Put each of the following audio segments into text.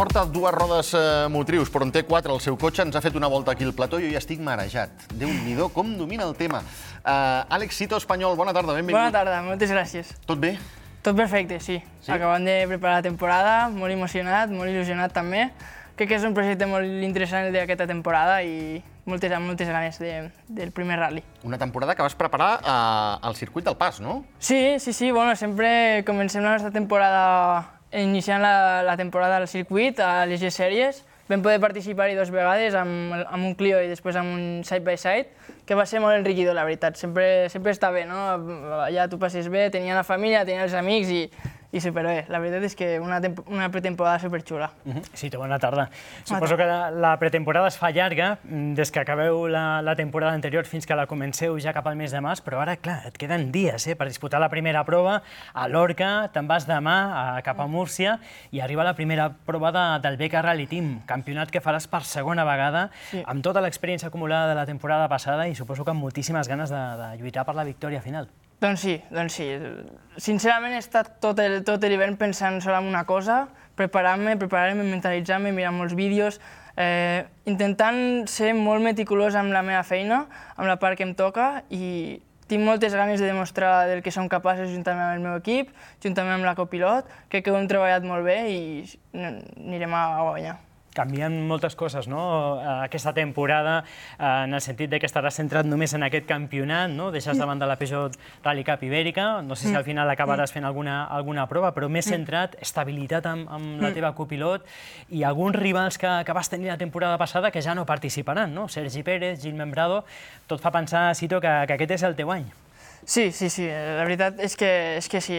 porta dues rodes motrius, però en té quatre. El seu cotxe ens ha fet una volta aquí al plató i jo ja estic marejat. Déu-n'hi-do, com domina el tema. Àlex Sito, Espanyol, bona tarda, benvingut. Bona tarda, moltes gràcies. Tot bé? Tot perfecte, sí. Acabant de preparar la temporada, molt emocionat, molt il·lusionat també. Crec que és un projecte molt interessant d'aquesta temporada i moltes ganes del primer rally. Una temporada que vas preparar al circuit del Pas, no? Sí, bueno, sempre comencem la nostra temporada iniciant la temporada al circuit, a les G-Sèries. Vam poder participar-hi dues vegades amb un Clio i després amb un side-by-side, que va ser molt enriquidor, la veritat. Sempre està bé, no? Allà tu passes bé, tenia la família, tenia els amics i superbé. La veritat és que una pretemporada superxula. Sí, bona tarda. Suposo que la pretemporada es fa llarga, des que acabeu la temporada anterior fins que la comenceu ja cap al mes de març, però ara, clar, et queden dies per disputar la primera prova a Lorca, te'n vas demà cap a Múrcia i arriba la primera prova del BK Rally Team, campionat que faràs per segona vegada, amb tota l'experiència acumulada de la temporada passada i suposo que amb moltíssimes ganes de lluitar per la victòria final. Doncs sí. Sincerament he estat tot l'hivern pensant sol en una cosa, preparant-me, mentalitzant-me, mirant molts vídeos, intentant ser molt meticulós amb la meva feina, amb la part que em toca, i tinc moltes ganes de demostrar del que som capaços juntament amb el meu equip, juntament amb la copilot. Crec que ho hem treballat molt bé i anirem a guanyar. Canvien moltes coses, no?, aquesta temporada, en el sentit que estaràs centrat només en aquest campionat, no? Deixes de banda la Peugeot Rally Cup Ibèrica, no sé si al final acabaràs fent alguna prova, però més centrat, estabilitat amb la teva copilot i alguns rivals que vas tenir la temporada passada que ja no participaran, no? Sergi Pérez, Gil Membrado, tot fa pensar, Sito, que aquest és el teu any. Sí, la veritat és que sí.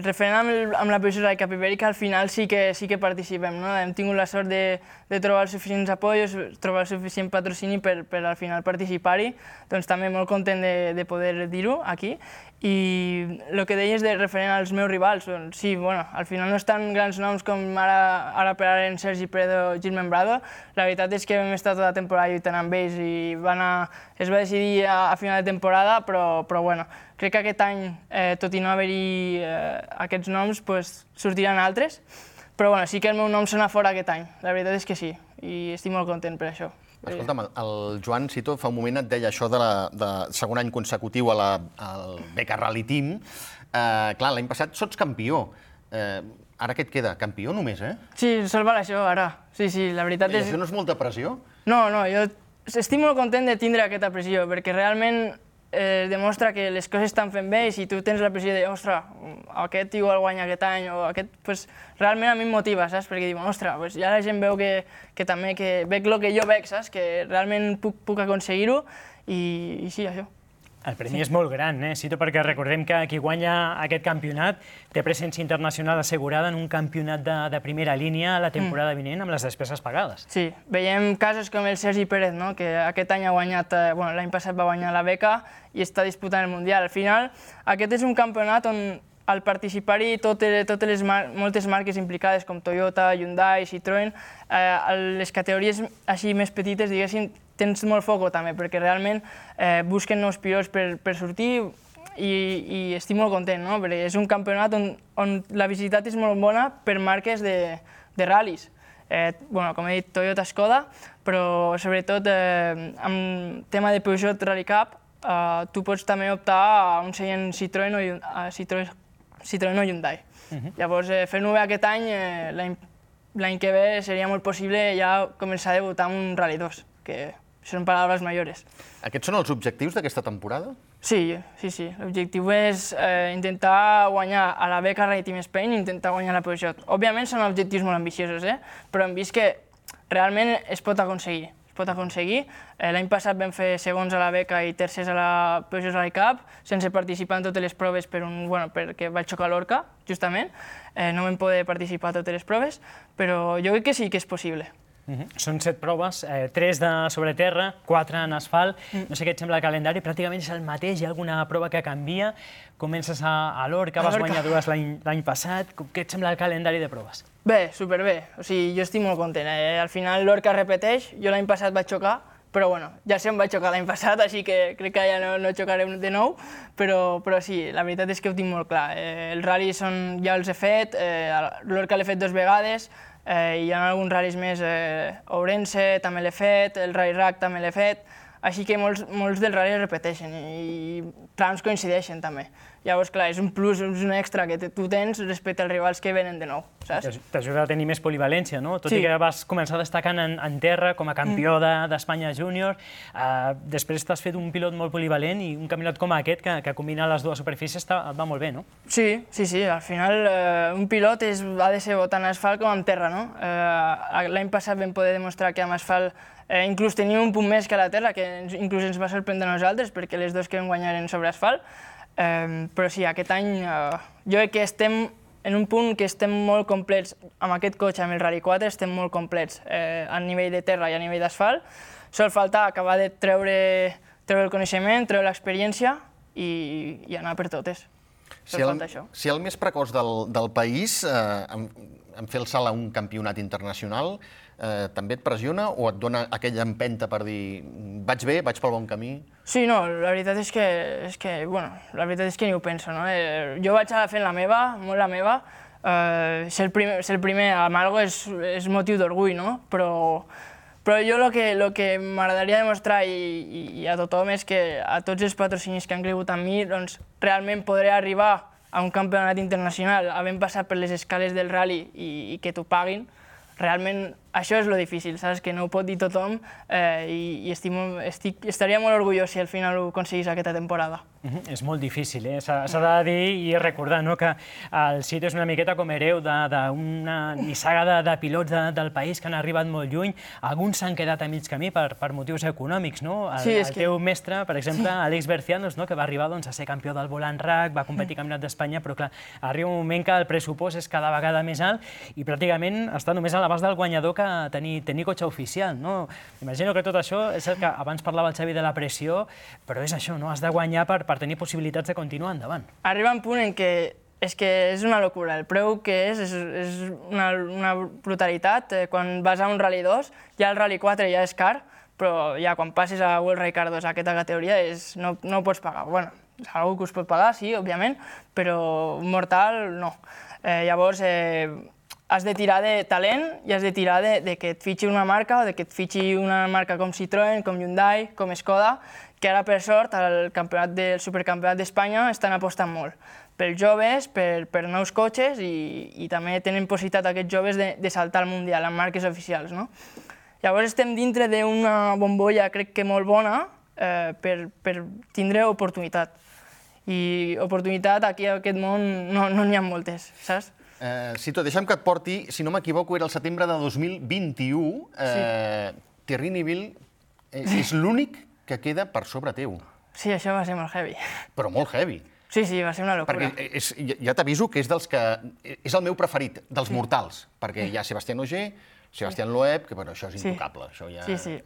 Referent amb la Peugeot Rally Cup Ibèrica, al final sí que participem, no? Hem tingut la sort de trobar els suficients apoyos, trobar el suficient patrocini per al final participar-hi, doncs també molt content de poder dir-ho aquí. I el que deies de referent als meus rivals, doncs sí, al final no estan grans noms com ara per ara en Sergi Pérez o Gil Membrado. La veritat és que vam estar tota la temporada lluitant amb ells i es va decidir a final de temporada, però crec que aquest any, tot i no haver-hi aquests noms, sortiran altres. Però sí que el meu nom sona fora aquest any, la veritat és que sí, i estic molt content per això. Escolta'm, el Joan Sito fa un moment et deia això de segon any consecutiu al BK Rally Team. Clar, l'any passat sots campió. Ara què et queda? Campió només, eh? Sí, salvar això ara. Sí, la veritat és... I això no és molta pressió? No, jo estic molt content de tindre aquesta pressió, perquè realment demostra que les coses estan fent bé i si tu tens la pressió de, ostres, aquest igual guanya aquest any o aquest, realment a mi em motiva, saps? Perquè dic, ostres, ja la gent veu que també veig el que jo veig, saps? Que realment puc aconseguir-ho i sí, això. El premi és molt gran, Sito, perquè recordem que qui guanya aquest campionat té presència internacional assegurada en un campionat de primera línia la temporada vinent amb les despeses pagades. Sí, veiem casos com el Sergi Pérez, que aquest any ha guanyat, l'any passat va guanyar la beca i està disputant el Mundial. Al final, aquest és un campionat on al participar-hi moltes marques implicades com Toyota, Hyundai, Citroën, les categories així més petites, diguéssim, tens molt foco també, perquè realment busquen nous pilots per sortir i estic molt content, perquè és un campionat on la visibilitat és molt bona per marques de ral·lis. Com he dit, Toyota, Skoda, però sobretot amb tema de Peugeot Rally Cup, tu pots també optar a un seient Citroën o Hyundai. Llavors, fent-ho bé aquest any, l'any que ve seria molt possible ja començar a debutar amb un Rally 2, que són paraules mayores. Aquests són els objectius d'aquesta temporada? Sí. L'objectiu és intentar guanyar a la BK Rally Team Spain i intentar guanyar la Peugeot. Òbviament són objectius molt ambiciosos, però hem vist que realment es pot aconseguir. L'any passat vam fer segons a la beca i tercers a la Peugeot Rally Cup, sense participar en totes les proves perquè vaig xocar a Lorca, justament. No vam poder participar a totes les proves, però jo crec que sí que és possible. Són 7 proves, 3 sobre terra, 4 en asfalt. No sé què et sembla el calendari, pràcticament és el mateix, hi ha alguna prova que canvia. Comences a Lorca, vas guanyar 2 l'any passat. Què et sembla el calendari de proves? Bé, superbé. Jo estic molt content. Al final Lorca repeteix, jo l'any passat vaig xocar, però bueno, ja se'm va xocar l'any passat, així que crec que ja no xocaré de nou, però sí, la veritat és que ho tinc molt clar. Els ral·lis ja els he fet, l'Orca l'he fet 2 vegades, hi ha alguns ral·lis més, Ourense també l'he fet, el Rally Rack també l'he fet, així que molts dels ral·lis repeteixen i trams coincideixen també. Llavors, clar, és un plus, és un extra que tu tens respecte als rivals que venen de nou, saps? T'ajuda a tenir més polivalència, no? Tot i que vas començar destacant en terra com a campió d'Espanya júnior, després t'has fet un pilot molt polivalent i un campionat com aquest, que combina les dues superfícies, et va molt bé, no? Sí, al final un pilot ha de ser tant asfalt com en terra, no? L'any passat vam poder demostrar que amb asfalt inclús teníem un punt més que a la terra, que inclús ens va sorprendre a nosaltres, perquè les dues que vam guanyar eren sobre asfalt. Però sí, aquest any jo crec que estem en un punt que estem molt complets. Amb aquest cotxe, amb el Rally 4, estem molt complets a nivell de terra i a nivell d'asfalt. Sol faltar acabar de treure el coneixement, treure l'experiència i anar per totes. Si el més precoç del país en fer el salt a un campionat internacional també et pressiona o et dona aquella empenta per dir vaig bé, vaig pel bon camí? Sí, no, la veritat és que ni ho penso, no? Jo vaig fent la meva, molt la meva. Ser el primer a Malgo és motiu d'orgull, no? Però jo el que m'agradaria demostrar i a tothom és que a tots els patrocinis que han cregut en mi, doncs realment podré arribar a un campionat internacional havent passat per les escales del rally i que t'ho paguin. Realment això és lo difícil, saps? Que no ho pot dir tothom i estaria molt orgullós si al final ho aconseguís aquesta temporada. És molt difícil, s'ha de dir i recordar que el Cito és una miqueta com hereu d'una nissaga de pilots del país que han arribat molt lluny. Alguns s'han quedat a mig camí per motius econòmics, no? El teu mestre, per exemple, Àlex Bercianos, que va arribar a ser campió del Volant Rack, va competir al Campionat d'Espanya, però clar, arriba un moment que el pressupost és cada vegada més alt i pràcticament està només a l'abast del guanyador que tenir cotxe oficial, no? Imagino que tot això, és cert que abans parlava el Xavi de la pressió, però és això, no? Has de guanyar per tenir possibilitats de continuar endavant. Arriba un punt en què és una locura. El preu que és una brutalitat. Quan vas a un Rally 2, ja el Rally 4 ja és car, però ja quan passes a World Rally Car 2 a aquesta categoria no ho pots pagar. Bueno, és una cosa que us pot pagar, sí, òbviament, però un mortal no. Llavors, has de tirar de talent i has de tirar de que et fitxi una marca o de que et fitxi una marca com Citroën, com Hyundai, com Skoda, que ara, per sort, al Supercampionat d'Espanya estan apostant molt pels joves, per nous cotxes i també tenen possibilitat aquests joves de saltar al Mundial amb marques oficials. Llavors estem dintre d'una bombolla, crec que molt bona, per tindre oportunitat. I oportunitat aquí a aquest món no n'hi ha moltes, saps? Cito, deixa'm que et porti, si no m'equivoco, era el setembre de 2021, Thierry Neuville és l'únic que queda per sobre teu. Sí, això va ser molt heavy. Però molt heavy. Sí, va ser una locura. Perquè ja t'aviso que és dels que... És el meu preferit, dels mortals, perquè hi ha Sebastián Ogier, Sebastián Loeb, que això és intocable. Sí.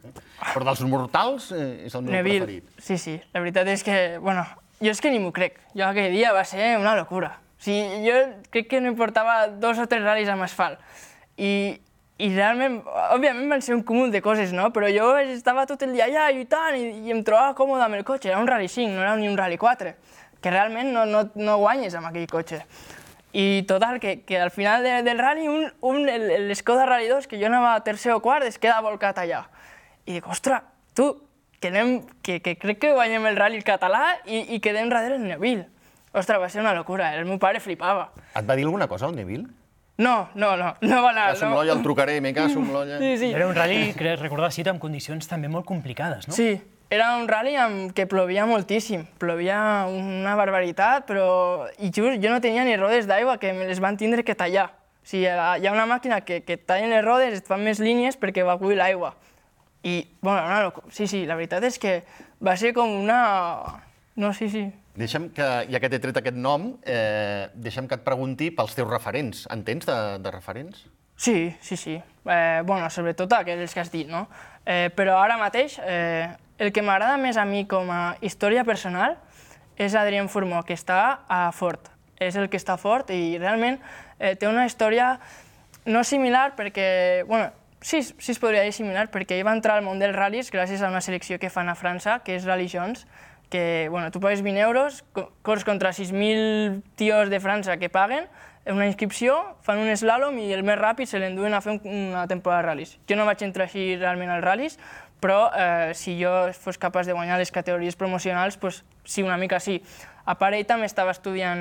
Però dels mortals és el meu preferit. Sí. La veritat és que, bueno, jo és que ni m'ho crec. Jo aquell dia va ser una locura. Jo crec que no em portava 2 o 3 ral·lis amb asfalt. I realment, òbviament van ser un cúmul de coses, no? Però jo estava tot el dia allà lluitant i em trobava còmode amb el cotxe. Era un Rally 5, no era ni un Rally 4, que realment no guanyes amb aquell cotxe. I total, que al final del rally, l'Skoda Rally 2, que jo anava tercer o quart, es queda volcat allà. I dic, ostres, que crec que guanyem el rally català i quedem darrere el Neuville. Ostres, va ser una locura, el meu pare flipava. Et va dir alguna cosa, el Neuville? No va anar. A Somlolla el trucaré, a Somlolla... Sí. Era un rally, crec recordar, Cito, amb condicions també molt complicades, no? Sí, era un rally que plovia moltíssim, plovia una barbaritat, però i just jo no tenia ni rodes d'aigua, que me les van tindre que tallar. O sigui, hi ha una màquina que tallen les rodes, et fan més línies perquè evacuï l'aigua. I, bueno, sí, la veritat és que va ser com una... No, sí. Deixa'm que, ja que t'he tret aquest nom, deixa'm que et pregunti pels teus referents. En tens de referents? Sí. Bueno, sobretot aquells que has dit, no? Però ara mateix, el que m'agrada més a mi com a història personal és Adrien Fourmaux, que està a Ford. És el que està a Ford i realment té una història no similar perquè, bueno, sí es podria dir similar, perquè ell va entrar al món dels ral·lis gràcies a una selecció que fan a França, que és Rally Jones, que tu pagues 20 euros, corres contra 6.000 tios de França que paguen una inscripció, fan un slalom i el més ràpid se l'enduen a fer una temporada de ral·lis. Jo no vaig entrar així realment als ral·lis, però si jo fos capaç de guanyar les categories promocionals, sí, una mica sí. A part, ell també estava estudiant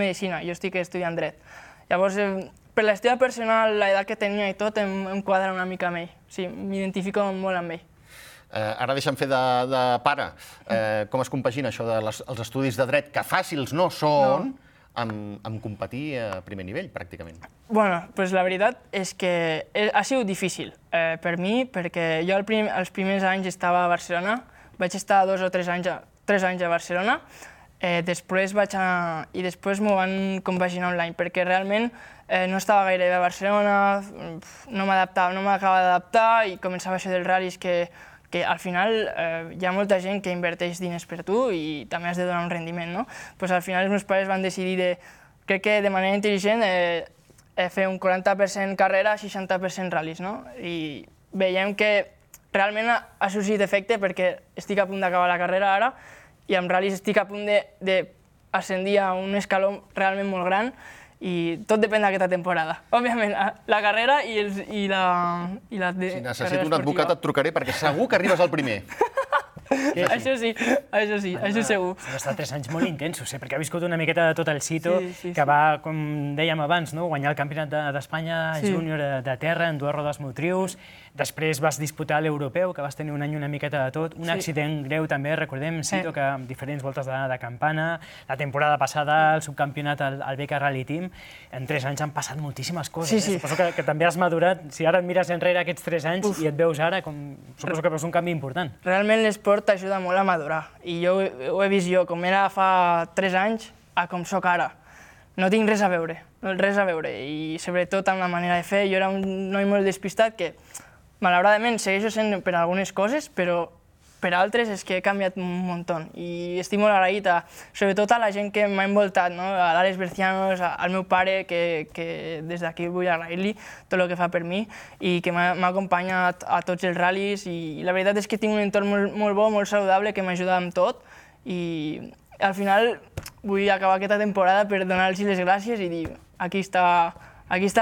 Medicina, jo estic estudiant Dret. Llavors, per la història personal, l'edat que tenia i tot, em quadra una mica amb ell. Sí, m'identifico molt amb ell. Ara deixa'm fer de pare. Com es compagina això dels estudis de dret, que fàcils no són, amb competir a primer nivell, pràcticament? Bueno, doncs la veritat és que ha sigut difícil per mi, perquè jo els primers anys estava a Barcelona, vaig estar 2 o 3 anys a Barcelona, després m'ho van compaginar online, perquè realment no estava gaire bé a Barcelona, no m'acabava d'adaptar i començava això dels ral·lis que al final hi ha molta gent que inverteix diners per tu i també has de donar un rendiment, no? Doncs al final els meus pares van decidir, crec que de manera intel·ligent, fer un 40% carrera, 60% ral·lis, no? I veiem que realment ha sorgit efecte perquè estic a punt d'acabar la carrera ara i amb ral·lis estic a punt d'ascendir a un escaló realment molt gran i tot depèn d'aquesta temporada. Òbviament, la carrera i la Si necessito un advocat et trucaré perquè segur que arribes al primer. Això sí, això segur. Han estat 3 anys molt intensos, perquè ha viscut una miqueta de tot el Sito, que va, com dèiem abans, guanyar el Campionat d'Espanya júnior de terra en 2 rodes motrius, després vas disputar l'Europeu, que vas tenir un any una miqueta de tot, un accident greu també, recordem, Sito, que amb diferents voltes de campana, la temporada passada el subcampionat al BK Rally Team, en 3 anys han passat moltíssimes coses. Suposo que també has madurat, si ara et mires enrere aquests 3 anys i et veus ara, suposo que veus un canvi important. Realment l'esport t'ajuda molt a madurar, i jo ho he vist jo, com era fa 3 anys a com sóc ara. No tinc res a veure, i sobretot amb la manera de fer. Jo era un noi molt despistat que, malauradament, segueixo sent per algunes coses, però per altres és que he canviat un muntó. I estic molt agraït, sobretot a la gent que m'ha envoltat, a l'Àlex Bercianos, al meu pare, que des d'aquí vull agrair-li tot el que fa per mi i que m'ha acompanyat a tots els ral·lis. I la veritat és que tinc un entorn molt bo, molt saludable, que m'ajuda amb tot. I al final vull acabar aquesta temporada per donar-los les gràcies i dir aquí està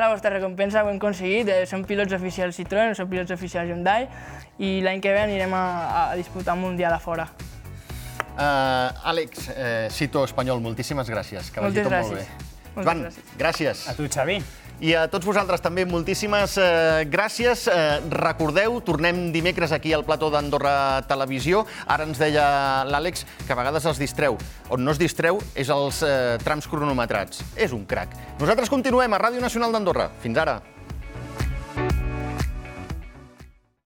la vostra recompensa, ho hem aconseguit, som pilots oficials Citroën, som pilots oficials Hyundai i l'any que ve anirem a disputar un mundial a fora. Àlex, Sito espanyol, moltíssimes gràcies, que vagi tot molt bé. Joan, gràcies. A tu, Xavi. I a tots vosaltres també moltíssimes gràcies. Recordeu, tornem dimecres aquí al plató d'Andorra Televisió. Ara ens deia l'Àlex que a vegades els distreu. On no es distreu és els trams cronometrats. És un crac. Nosaltres continuem a Ràdio Nacional d'Andorra. Fins ara.